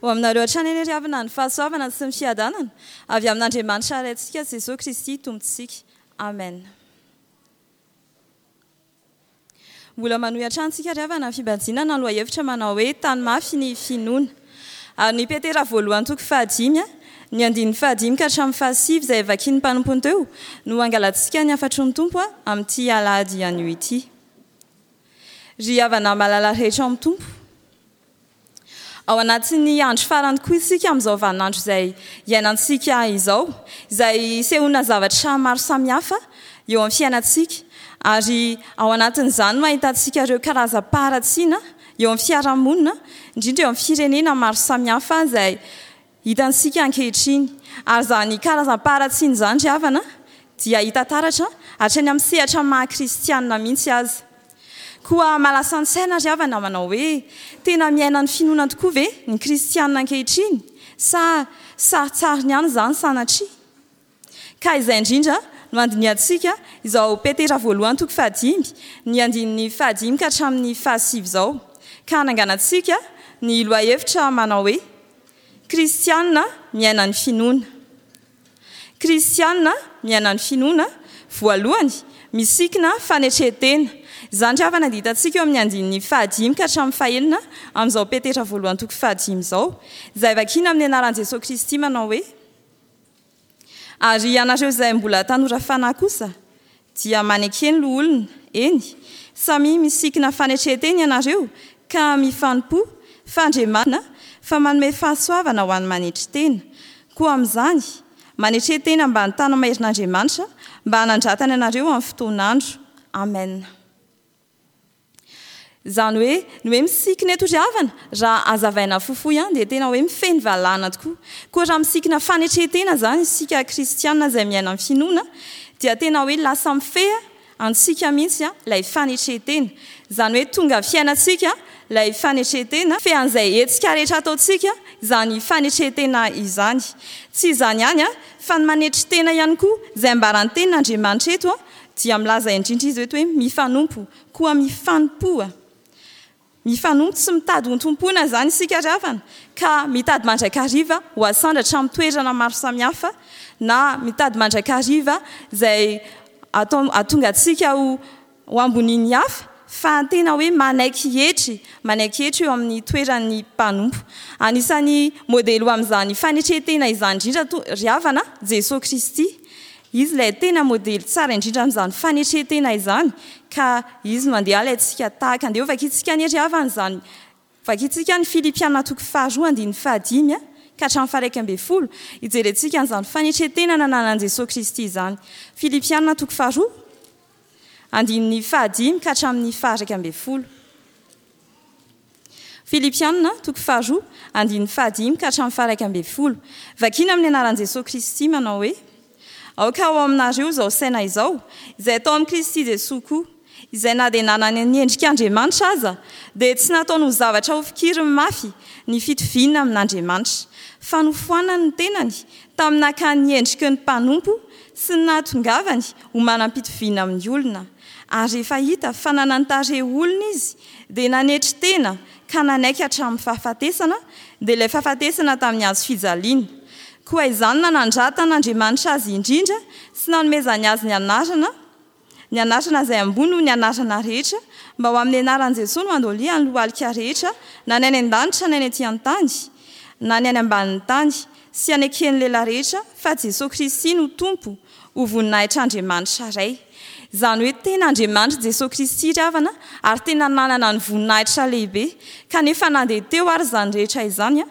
Ho aminareo hatrany anie ry havana ny fahasoavana sy ny fiadanana avy amin'Andriamanitra Raintsika Jesoa Kristy Tompontsika. Amen. Mbola manohy hatrany tsika ry havana ny fibanjinana ny lohahevitra manao hoe tany mafy ny finoana. Ary ny Petera voalohany toko fahadimy, ny andininy fahadimy ka hatramin'ny fahasivy izay vakian'ny mpanompony teo no hangalantsika ny hafatry ny Tompo amin'ity alahady anio ity. Ry havana malala rehetra ao amin'ny Tompo. Ao anatin'ny andro farany koa isika amin'izao vaninandro izay iainantsika izao, izay isehoana zavatra maro samihafa eo amin'ny fiainantsika, ary ao anatin'izany no ahitantsika ireo karazam-paharatsiana eo amin'ny fiarahamonina, indrindra eo amin'ny firenena maro samihafa izay hitantsika ankehitriny. Ary izany karazam-paharatsiana izany ry havana dia hita taratra hatrany amin'ny sehatra maha kristianina mihitsy aza. Koa mahalasa an-tsaina ry havana manao hoe, tena miaina ny finoana tokoa ve ny kristianina ankehitriny sa sarintsariny ihany izany sanatria? Ka izay indrindra no handinihantsika izao Petera voalohany toko fahadimy, ny andininy fahadimy ka hatramin'ny fahasivy izao, ka hananganantsika ny lohahevitra manao hoe, Kristianina miaina ny finoana. Kristianina miaina ny finoana, voalohany, misikina fanetren-tena. Izany ry havana dia hitantsika eo amin'ny andininy fahadimy ka hatramin'ny fahenina amin'izao Petera voalohany toko fahadimy izao, izay vakiana amin'ny anaran'i Jesoa Kristy manao hoe, Ary ianareo izay mbola tanora fanahy kosa dia maneke ny loholona, eny, samia misikina fanetren-tena ianareo ka mifanompoa, fa Andriamanitra fa manome fahasoavana ho an'ny manetry tena. Koa amin'izany, manetre tena ambany tana-maherin'Andriamanitra mba hanandratany anareo amin'ny fotoan'andro. Amen. Izany hoe, ny hoe misikina eto ry havana, raha hazavaina fohifohy ihany dia tena hoe mifehy ny valahana tokoa. Koa raha misikina fanetren-tena izany isika kristiana izay miaina amin'ny finoana dia tena hoe lasa mifehy antsika mihitsy ilay fanetren-tena. Izany hoe tonga fiainantsika ilay fanetren-tena, mifehy an'izay hetsika rehetra ataontsika izany fanetren-tena izany. Tsy izany ihany fa ny manetry tena ihany koa, izay ambaran'ny tenin'Andriamanitra eto dia milaza indrindra izy eto hoe mifanompo. Koa mifanompoa. Mifanompo tsy mitady hontompoina izany isika ry havana, ka mitady mandrakariva ho asandratra amin'ny toerana maro samihafa, na mitady mandrakariva izay atao hahatonga antsika ho ho ambonian'ny hafa, fa tena hoe manaiky hietry, manaiky hietry eo amin'ny toeran'ny mpanompo. Anisan'ny modely ho amin'izany fanetren-tena izany indrindra ry havana, Jesoa Kristy. Izy ilay tena modely tsara indrindra amin'izany fanetren-tena izany, ka Izy no andeha halaintsika tahaka. Andeha ho vakintsika anie ry havana izany. Vakintsika ny Filipiana toko faharoa andininy fahadimy ka hatramin'ny faha-11, hijerentsika an'izany fanetren-tena nananan'i Jesoa Kristy izany. Filipiana toko faharoa andininy fahadimy ka hatramin'ny faha-11. Filipiana, toko faharoa, andininy fahadimy ka hatramin'ny faha-11. Vakiana amin'ny anaran'i Jesoa Kristy manao hoe, Aoka ho ao aminareo izao saina izao, izay atao amin'i Kristy Jesoa koa, izay na dia nanana ny endrik'Andriamanitra aza, dia tsy nataony ho zavatra hofikiriny mafy ny fitoviana amin'Andriamanitra, fa nofoanany ny tenany tamin'ny nakany ny endriky ny mpanompo sy ny nahatongavany ho manam-pitoviana amin'ny olona. Ary rehefa hita fa nanan-tarehy olona izy, dia nanetry tena ka nanaiky hatramin'ny fahafatesana, dia ilay fahafatesana tamin'ny hazo fijaliana. Koa izany nanandratan'Andriamanitra azy indrindra sy nanomezany azy ny anarana, ny anarana izay ambony noho ny anarana rehetra, mba ho amin'ny anaran'i Jesoa no handolian'ny lohalika rehetra, na ny any an-danitra na ny ety an-tany, na ny any ambanin'ny tany, sy haneken'ny lela rehetra fa Jesoa Kristy no Tompo, ho voninahitr'Andriamanitra Ray. Izany hoe tena Andriamanitra Jesoa Kristy ry havana ary tena nanana ny voninahitra lehibe kanefa na dia teo ary izany rehetra izany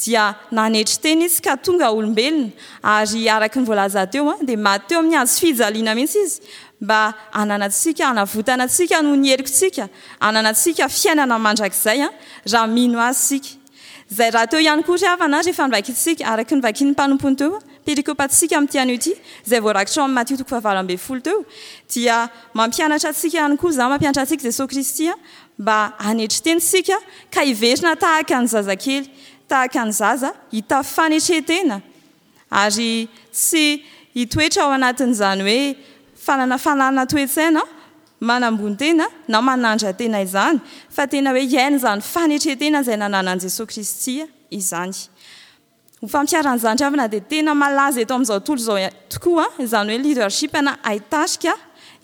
dia nanetry tena izy ka tonga olombelona ary araka ny voalaza teo dia maty teo amin'ny hazo fijaliana mihitsy izy mba hananantsika hanavotana antsika noho ny helokintsika hananantsika fiainana mandrakizay raha mino azy isika. Izay rahateo ihany koa ry havana rehefa novakintsika, araka ny novakin'ny mpanompony teo, perikopantsika amin'ity anio ity, izay voarakitra ao amin'ny Matio toko fahavalo ambin'ny folo teo, dia mampianatra antsika ihany koa izany, mampianatra antsika Jesoa Kristy mba hanetry tena isika ka hiverina tahaka ny zazakely, tahaka ny zaza, hitafy fanetren-tena ary tsy hitoetra ao anatin'izany hoe fanana fananana toe-tsaina manambony tena na manandra-tena izany fa tena hoe hiaina izany fanetren-tena izay nananan'i Jesoa Kristy. izany. Ho fampiharana izany ry havana dia tena malaza eto amin'izao tontolo izao tokoa izany hoe leadership na haitarika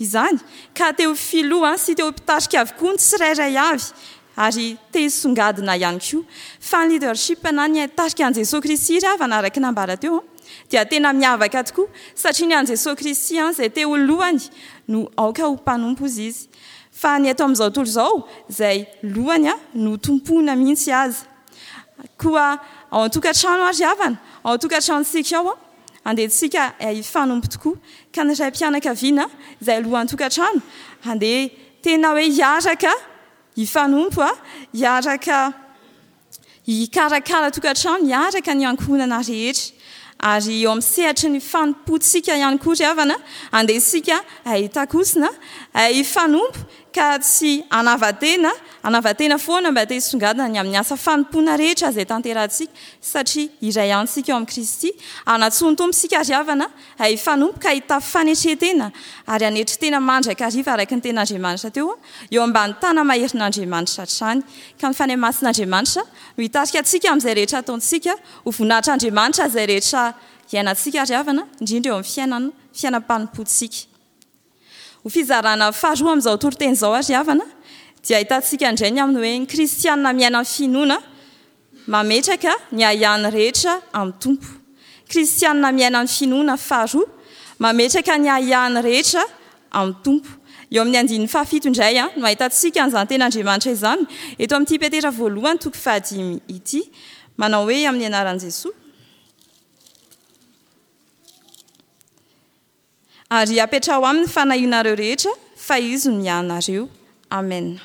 izany ka te ho filoha sy te ho mpitarika avokoa ny tsirairay avy ary te hisongadina ihany koa. Fa ny leadership na ny haitarika an'i Jesoa Kristy ry havana araka ny nambara teo dia tena miavaka tokoa satria ny an'i Jesoa Kristy izay te ho lohany no aoka ho mpanompo hozy izy fa ny eto amin'izao tontolo izao izay lohany no tompoina mihitsy aza. Koa ao an-tokantrano ary havana, ao an-tokantranontsika ao, andeha tsika hifanompo tokoa. Ka ny raim-pianakaviana izay lohan-tokantrano, andeha tena hoe hiaraka hifanompo, hiaraka hikarakara tokantrano, hiaraka ny ankohonana rehetra. Ary eo amin'ny sehatry ny fanompoantsika ihany koa ry havana, andeha isika hitakosina, hifanompo ka tsy hanava-tena, hanava-tena foana mba te hisongadina ny amin'ny asa fanompoana rehetra izay tanterahantsika, satria iray ihany isika ao amin'i Kristy. Hanatsoa ny Tompo isika ry havana, hifanompo ka hitafy fanetren-tena ary hanetry tena mandrakariva araka ny tenin'Andriamanitra teo, eo ambany tana-maherin'Andriamanitra hatrany. Ka ny Fanahy Masin'Andriamanitra no hitarika antsika amin'izay rehetra ataontsika, ho voninahitr'Andriamanitra izay rehetra iainantsika ry havana, indrindra eo amin'ny fiainana, fiainam-panompoantsika. Ho fizarana faharoa amin'izao toriteny izao ary havana, dia ahitantsika indray ny amin'ny hoe ny kristiana miaina ny finoana mametraka ny ahiahiny rehetra amin'ny Tompo. Kristiana miaina ny finoana faharoa mametraka ny ahiahiny rehetra amin'ny Tompo. Eo amin'ny andininy fahafito indray no ahitantsika an'izany tenin'Andriamanitra izany, eto amin'ity Petera voalohany toko fahadimy ity, manao hoe amin'ny anaran'i Jesoa. Ary apetraho aminy ny fanahianareo rehetra, fa Izy no miahy anareo. Amena.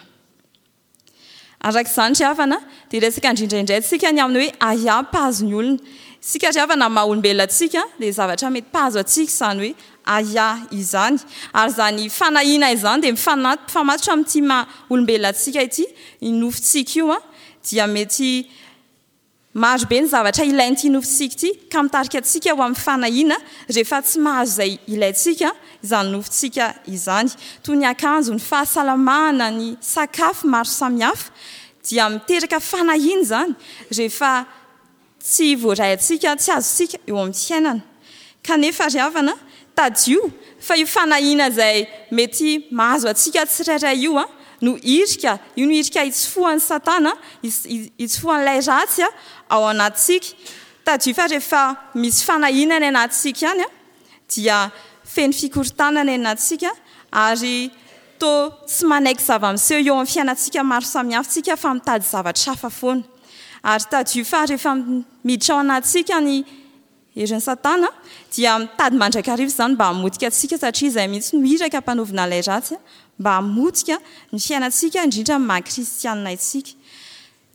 Araka izany ry havana, dia hiresaka indrindra indray tsika ny amin'ny hoe ahiahy mpahazo ny olona. Isika ry havana, amin'ny maha olombelona antsika, dia zavatra mety mpahazo antsika izany hoe ahiahy izany. Ary izany fanahiana izany dia mifamatotra amin'ity maha olombelona antsika ity, ny nofontsika io dia mety Maro be ny zavatra ilain'ity nofontsika ity ka mitarika antsika ho amin'ny fanahiana rehefa tsy mahazo izay ilaintsika izany nofontsika izany. Toy ny akanjo, ny fahasalamana, ny sakafo maro samihafa dia miteraka fanahiana izany rehefa tsy voaray antsika, tsy azontsika eo amin'ny fiainana. Kanefa ry havana, tadidio fa io fanahiana izay mety mahazo antsika tsirairay io no irika, io no irika hitsofohan'i Satana, hitsofohan'ilay ratsy ao anatintsika. Tadidio fa rehefa misy fanahiana any anatintsika any dia feno fikorontanana any anatintsika ary toa tsy manaiky zava-miseho eo amin'ny fiainantsika maro samihafa isika fa mitady zavatra hafa foana. Ary tadidio fa rehefa miditra ao anatintsika ny Herin'i Satana dia mitady mandrakariva izany mba hamotika antsika satria izay mihitsy no iraka ampanaovina ilay ratsy mba hamotika ny fiainantsika indrindra amin'ny maha kristianina antsika.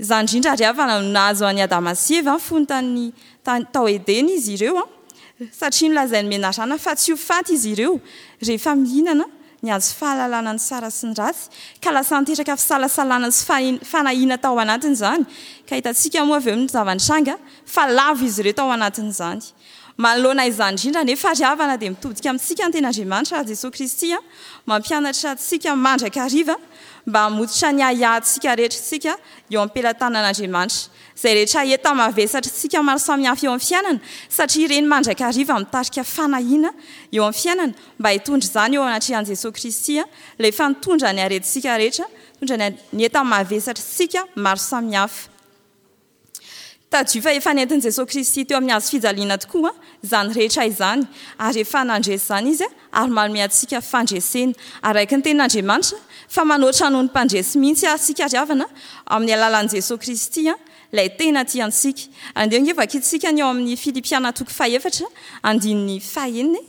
Izany indrindra ry havana no nahazo an'i Adama sy Eva fony tany tao Edena izy ireo satria nolazain'ny menarana fa tsy ho faty izy ireo rehefa mihinana ny hazo fahalalana ny tsara sy ny ratsy ka lasa niteraka fisalasalana sy fanahiana tao anatiny izany ka hitantsika moa avy eo ny zava-nitranga fa lavo izy ireo tao anatin'izany. Manoloana izany indrindra anefa ry havana dia mitodika amintsika ny Tenin'Andriamanitra ary Jesoa Kristy mampianatra antsika mandrakariva mba hamototra ny ahiahintsika rehetra isika eo am-pelatanan'Andriamanitra. Izay rehetra enta-mavesatr'tsika maro samihafa eo amin'ny fiainana satria ireny mandrakariva mitarika fanahiana eo amin'ny fiainana mba hitondra izany eo anatrehan'i Jesoa Kristy ilay efa nitondra ny aretintsika rehetra, nitondra ny enta-mavesatr'tsika maro samihafa. Tadidio fa efa nentin'i Jesoa Kristy teo amin'ny hazo fijaliana tokoa izany rehetra izany, ary efa nandresy izany Izy ary manome antsika fandresena. Araka ny Tenin'Andriamanitra, fa manoatra noho ny mpandresy mihitsy ary isika ry havana, amin'ny alalan'i Jesoa Kristy, Ilay tena tia antsika. Andeha ange vakintsika ny ao amin'ny Filipiana toko fahefatra, andininy fahenina e.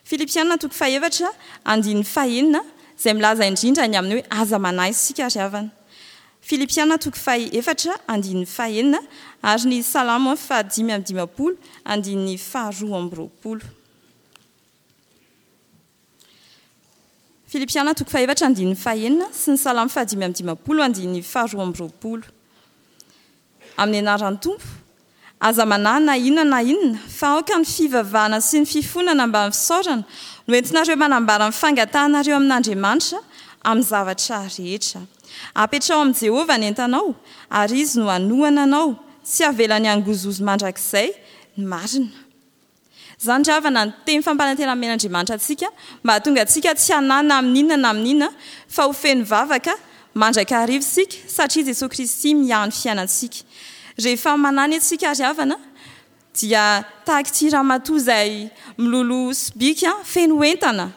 Filipiana toko fahefatra andininy fahenina izay milaza indrindra ny amin'ny hoe aza manahy isika ry havana. Filipiana toko fahefatra andininy fahenina ary ny Salamo fahadimy amby dimampolo andininy faharoa amby roapolo. Filipiana toko fahefatra andininy fahenina sy ny Salamo fahadimy amby dimampolo andininy faharoa amby roapolo. Amin'ny anaran'ny Tompo, aza manahy na inona na inona, fa aoka ny fivavahana sy ny fifonana mba amin'ny fisaorana no entinareo manambara ny fangatahanareo amin'Andriamanitra. amin'ny zavatra rehetra. Apetraho amin'i Jehovah ny entanao, ary izy no hanohana anao, tsy havelany hangozohozo mandrakizay ny marina. Izany ry havana ny teny fampanantenana omen'Andriamanitra antsika mba hahatonga antsika tsy hanahy na amin'inona na amin'inona fa ho feno vavaka mandrakariva isika satria Jesoa Kristy miahy ny fiainantsika. Rehefa manahy anie tsika ry havana dia tahaka ity ramatoa izay miloloha sobika feno entana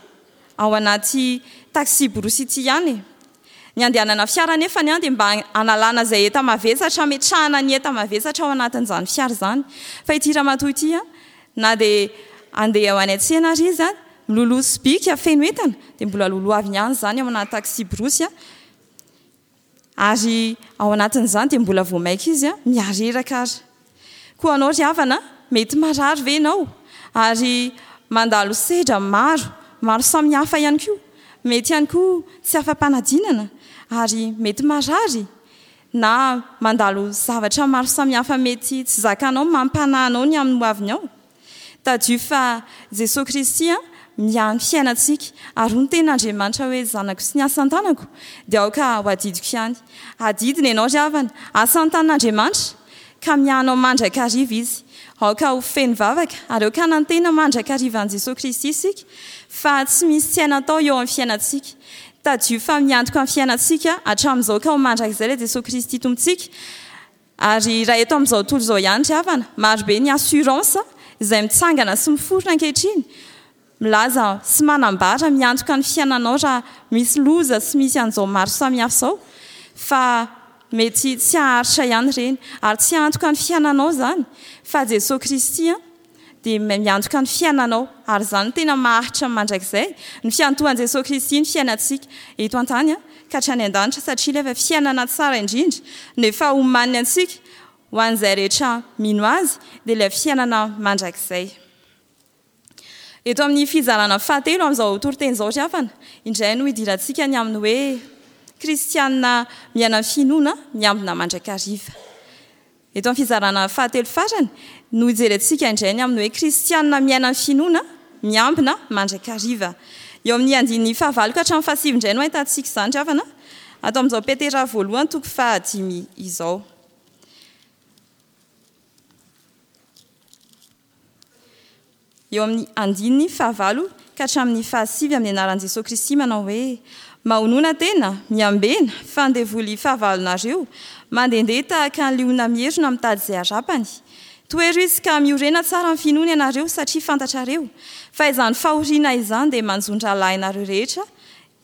ao anaty taxi-brousse ity ihany e. Ny andehanana fiara anefany dia mba hanalana izay enta-mavesatra hametrahana ny enta-mavesatra ao anatin'izany fiara izany. Fa ity ramatoa ity na dia handeha ho any an-tsena ary izy, miloloha sobika feno entana, dia mbola lolohaviny ihany izany ao anaty taxi-brousse. Ary ao anatin'izany dia mbola vao maika izy mihareraka ary. Koa anao ry havana, mety marary ve ianao? Ary mandalo sedra maro, maro samihafa ihany koa. Mety ihany koa tsy afa-panadinana, ary mety marary, na mandalo zavatra maro samihafa mety tsy zakanao mampanahy anao ny amin'ny hoavinao. Tadidio fa Jesoa Kristy miahy ny fiainantsika ary hoy ny tenin'Andriamanitra hoe zanako sy ny asan-tanako dia aoka ho adidiko ihany. Adidiny ianao ry havana, asan-tanan'Andriamanitra ka miahy anao mandrakariva Izy. Aoka ho feno vavaka ary aoka hanantena mandrakariva an'i Jesoa Kristy isika fa tsy misy tsy haina atao eo amin'ny fiainantsika. Tadidio fa miantoka ny fiainantsika hatramin'izao ka ho mandrakizay ilay Jesoa Kristy Tompontsika. Ary raha eto amin'izao tontolo izao ihany ry havana, marobe ny assurance izay mitsangana sy miforona ankehitriny, milaza sy manambara, miantoka ny fiainanao raha misy loza sy misy an'izao maro samihafa izao, fa mety tsy haharitra ihany ireny. Ary tsy hiantoka ny fiainanao izany, fa Jesoa Kristy dia miantoka ny fiainanao, ary izany no tena maharitra mandrakizay, ny fiantohan'i Jesoa Kristy ny fiainantsika eto an-tany ka hatrany an-danitra, satria ilay efa fiainana tsara indrindra no efa omaniny antsika ho an'izay rehetra mino Azy, dia ilay fiainana mandrakizay. Eto amin'ny fizarana fahatelo amin'izao toriteny izao ry havana, indray no hidirantsika ny amin'ny hoe Kristiana miaina ny finoana miambina mandrakariva. Eto amin'ny fizarana fahatelo farany no hijerentsika indray ny amin'ny hoe Kristiana miaina ny finoana, miambina mandrakariva. Eo amin'ny andininy fahavalo ka hatramin'ny fahasivy indray no ahitantsika izany ry havana, ato amin'izao Petera voalohany toko fahadimy izao. Eo amin'ny andininy fahavalo ka hatramin'ny fahasivy amin'ny anaran'i Jesoa Kristy manao hoe, Mahonona tena, miambena, fa ny devoly fahavalonareo, mandehandeha tahaka ny liona mierona mitady izay harapany. Tohero izy ka miorena tsara amin'ny finoana ianareo satria fantatrareo fa izany fahoriana izany dia manjo ny rahalahinareo rehetra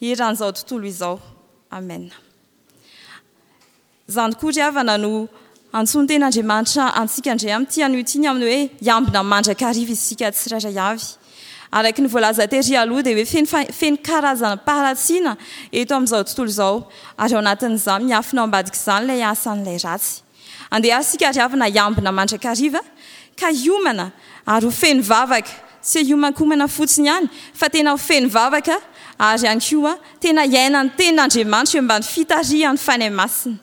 eran'izao tontolo izao. Amena. Izany koa ry havana no antsoin-ten'Andriamanitra antsika indray amin'ity anio ity ny amin'ny hoe hiambina mandrakariva isika tsirairay avy. Araka ny voalaza tery aloha dia hoe feno feno karazam-paharatsiana eto amin'izao tontolo izao ary ao anatin'izany miafina ao ambadik'izany ilay asan'ilay ratsy. Andeha ary isika ry havana hiambina mandrakariva ka hiomana ary ho feno vavaka, tsy hiomankomana fotsiny ihany fa tena ho feno vavaka ary ihany koa tena hiaina ny tenin'Andriamanitra eo ambany fitarihan'ny Fanahy Masina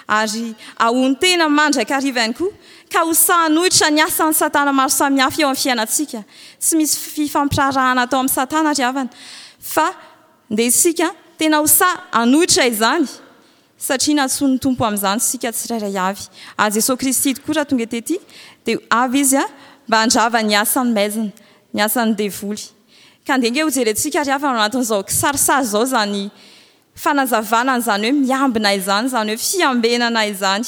ary ahonon-tena mandrakariva ihany koa ka ho sahy hanohitra ny asan'i Satana maro samihafa eo amin'ny fiainantsika. Tsy misy fifampiraharahana atao amin'i Satana ry havana fa ndeha isika tena ho sahy hanohitra izany Satria nantsoin'ny Tompo amin'izany isika tsirairay avy. Ary Jesoa Kristy tokoa raha tonga tety dia avy Izy mba handrava ny asan'ny maizina, ny asan'ny devoly. Ka andeha ange hojerentsika ry havana ao anatin'izao kisarisary izao izany fanazavana an'izany hoe miambina izany, izany hoe fiambenana izany.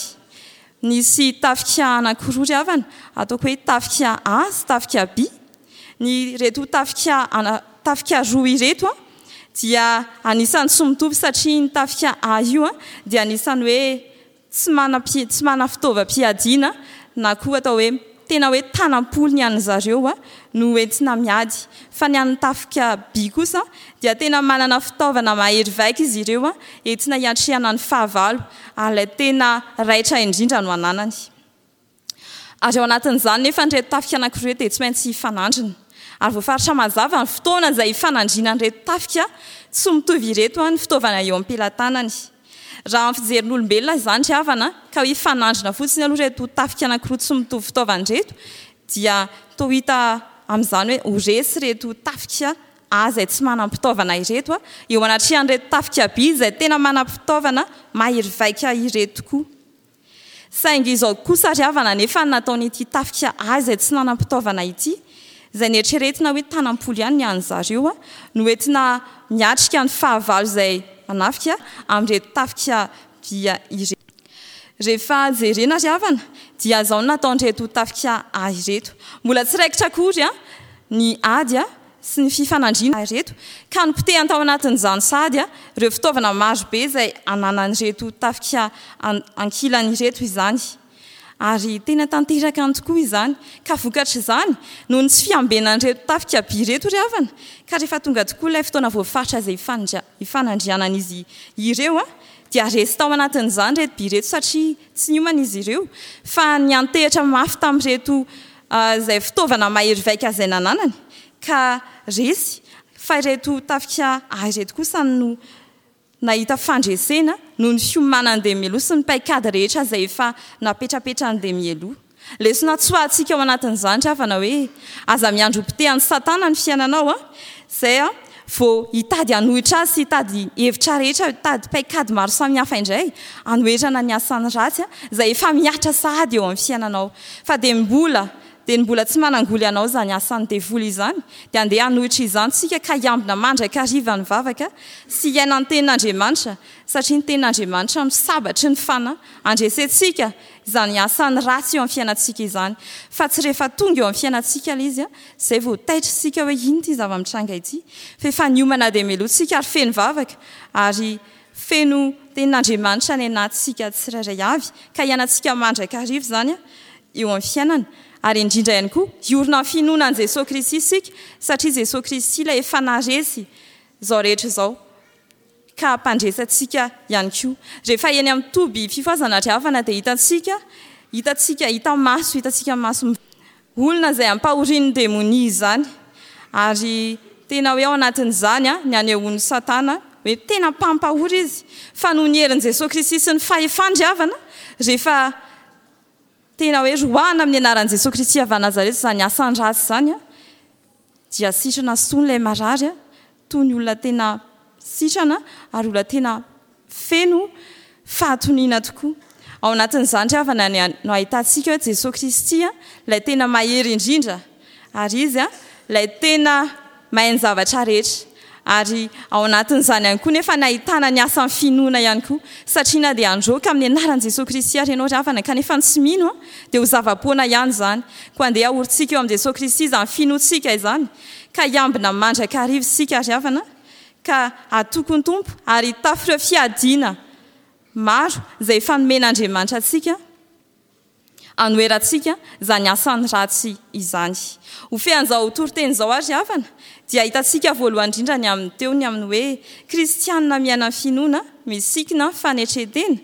Nisy tafika anankiroa ry havana, ataoko hoe tafika A sy tafika B. Ny ireto tafika ana tafika roa ireto an dia anisan'ny tsy mitovy satria ny tafika A io an dia anisan'ny hoe tsy manam-pi tsy manana fitaovam-piadiana na koa atao hoe tena hoe tanam-polo ny an'ny zareo an no entina miady fa ny an'ny tafika B kosa dia tena manana fitaovana mahery vaika izy ireo an entina hiatrehana ny fahavalo ary ilay tena raitra indrindra no ananany. Ary ao anatin'izany nefa ireto tafika anankiroa ireto dia tsy maintsy hifanandrina. Ary voafaritra mazava ny fotoana izay hifanandrinan'ireto tafika tsy mitovy ireto ny fitaovana eo am-pelatanany. Raha amin'ny fijerin'olombelona izany ry havana, ka hoe hifanandrina fotsiny aloha ireto tafika anankiroa tsy mitovy fitaovana ireto, dia toa hita amin'izany hoe ho resy ireto tafika. A izay tsy manam-pitaovana ireto eo anatrehan'ireto tafika B izay tena manam-pitaovana mahery vaika ireto tokoa. Saingy izao kosa ry havana anefa ny nataon'ity tafika A izay tsy nanam-pitaovana ity, izay neritreretina hoe tanam-polo ihany ny an'zareo, no entina miatrika ny fahavalo izay manafika amin'ireto tafika B ireto. Rehefa jerena ry havana dia izao no nataon'ireto tafika A ireto. Mbola tsy raikitra akory ny ady sy ny fifanandrinana ireto ka nopotehany tao anatin'izany sahady ireo fitaovana marobe izay ananan'ireto tafika ankilany ireto izany. Ary tena tanteraka any tokoa izany. Ka vokatr'izany, noho ny tsy fiambenan'ireto tafika by ireto ry havana, ka rehefa tonga tokoa ilay fotoana voafaritra izay hifanandrianan'izy ireo, dia resy tao anatin'izany ireto by ireto satria tsy niomana izy ireo fa niantehitra mafy tamin'ireto izay fitaovana mahery vaika izay nananany ka resy fa ireto tafika A ireto kosa no nahita fandresena noho ny fiomanan'i Demielou sy ny paikady rehetra izay efa napetrapetran'i Demielou. Lesona tsoahantsika ao anatin'izany ry havana hoe aza miandry ho potehan'i Satana ny fiainanao izay vao hitady hanohitra azy sy hitady hevitra rehetra, hitady paikady maro samihafa indray hanoherana ny asany ratsy izay efa mihatra sahady eo amin'ny fiainanao. Fa dia mbola dia ny mbola tsy manangoly anao izany asan'ny devoly izany dia andeha hanohitra izany tsika ka hiambina mandrakariva ny vavaka sy hiaina ny tenin'Andriamanitra satria ny tenin'Andriamanitra no sabatry ny fanahy handresentsika izany asany ratsy eo amin'ny fiainantsika izany fa tsy rehefa tonga eo amin'ny fiainantsika ilay izy izay vao taitra isika hoe inona ity zava-mitranga ity fa efa niomana dia meloa tsika ary feno vavaka ary feno tenin'Andriamanitra any anatintsika tsirairay avy ka hiainantsika mandrakariva izany eo amin'ny fiainana ary indrindra ihany koa hiorina amin'ny finoana an'i Jesoa Kristy isika satria Jesoa Kristy ilay efa naharesy izao rehetra izao ka hampandresy antsika ihany koa. Rehefa eny amin'ny toby fifohazana ry havana dia hitantsika, hitantsika, hita maso, hitantsika maso olona izay ampahorian'ny demonia izany. Ary tena hoe ao anatin'izany ny anehoan'i Satana hoe tena mpampahory izy. Fa noho ny herin'i Jesoa Kristy sy ny fahefany ry havana, rehefa tena hoe roahina amin'ny anaran'i Jesoa Kristy avy any Nazareta izany asany ratsy izany, dia sitrana sy tony ilay marary, toy ny olona tena sitrana ary olona tena feno fahatoniana tokoa. Ao anatin'izany ry havana no ahitantsika hoe Jesoa Kristy ilay tena mahery indrindra ary Izy ilay tena mahay ny zavatra rehetra. Ary ao anatin'izany ihany koa nefa ny ahitana ny asan'ny finoana ihany koa. Satria na dia handroaka amin'ny anaran'i Jesoa Kristy ary ianao ry havana kanefa ny tsy mino dia ho zava-poana ihany izany. Koa andeha haorintsika eo amin'i Jesoa Kristy izany finoantsika izany ka hiambina mandrakariva isika ry havana ka hatoky ny Tompo ary hitafy ireo fiadiana maro izay efa nomen'Andriamanitra antsika hanoherantsika izany asany ratsy izany. Ho fean'izao toriteny izao ary havana dia hitantsika voalohany indrindra ny amin'ny teo ny amin'ny hoe kristianina miaina ny finoana, misikina fanetren-tena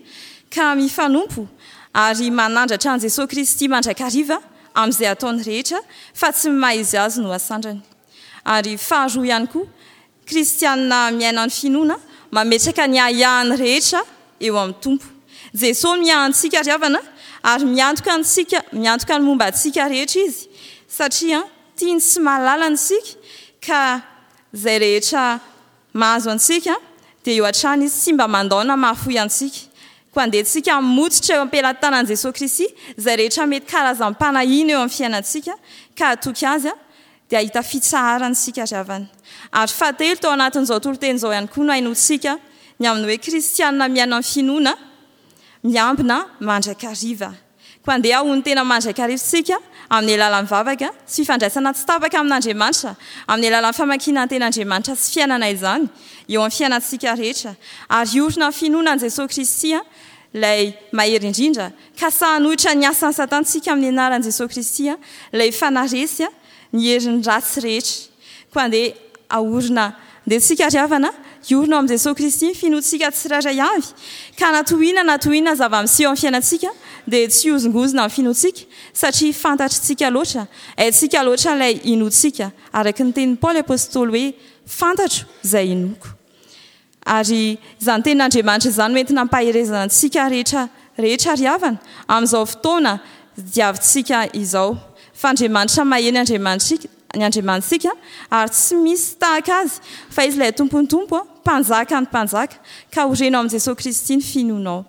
ka mifanompo ary manandratra an'i Jesoa Kristy mandrakariva amin'izay ataony rehetra fa tsy ny maha izy azy no asandrany. Ary faharoa ihany koa, kristianina miaina ny finoana, mametraka ny ahiahiny rehetra eo amin'ny Tompo. Jesoa miahy antsika ry havana ary miantoka antsika, miantoka ny momba antsika rehetra Izy satria tiany sy mahalala antsika ka izay rehetra Mahazo antsika, dia eo hatrany Izy, tsy mba mandao na mahafoy antsika. Koa andeha tsika hamototra eo am-pelatanan'i Jesoa Kristy izay rehetra mety karazam-panahiana eo amin'ny fiainantsika, ka hatoky Azy, dia hahita fitsaharana isika ry havana. Ary fahatelo, tao anatin'izao toriteny izao ihany koa no hainoantsika ny amin'ny hoe kristiana miaina amin'ny finoana, miambina mandrakariva. Koa andeha hahono tena mandrakariva isika amin'ny alalan'ny vavaka sy fifandraisana tsy tapaka amin'Andriamanitra, amin'ny alalan'ny famakiana ny Tenin'Andriamanitra sy fiainana izany eo amin'ny fiainantsika rehetra, ary hiorina amin'ny finoana an'i Jesoa Kristy ilay mahery indrindra, ka sahy hanohitra ny asan'i Satana isika amin'ny anaran'i Jesoa Kristy ilay efa naharesy ny herin'ny ratsy rehetra. Koa andeha haorina, andeha tsika ry havana, hiorina ao amin'i Jesoa Kristy ny finoantsika tsirairay avy, ka na tohina na tohina zava-miseho amin'ny fiainantsika dia tsy hihozongozona ny finoantsika, satria fantatritsika loatra, haintsika loatra ilay inoantsika, araka ny tenin'i Paoly Apostoly hoe, Fantatro izay inoako. Ary izany tenin'Andriamanitra izany no entina ampaherezana antsika rehetra rehetra ry havana, amin'izao fotoana diavintsika izao. Fa Andriamanitra maheno Andriamanitsika. ny Andriamanitsika ary tsy misy tahaka Azy fa Izy ilay Tompon'ny Tompo, Mpanjakan'ny mpanjaka, ka horeno amin'i Jesoa Kristy ny finoanao.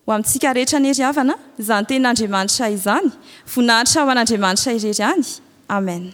Ho amintsika rehetra anie ry havana izany tenin'Andriamanitra izany, voninahitra ho an'Andriamanitra irery ihany. Amen.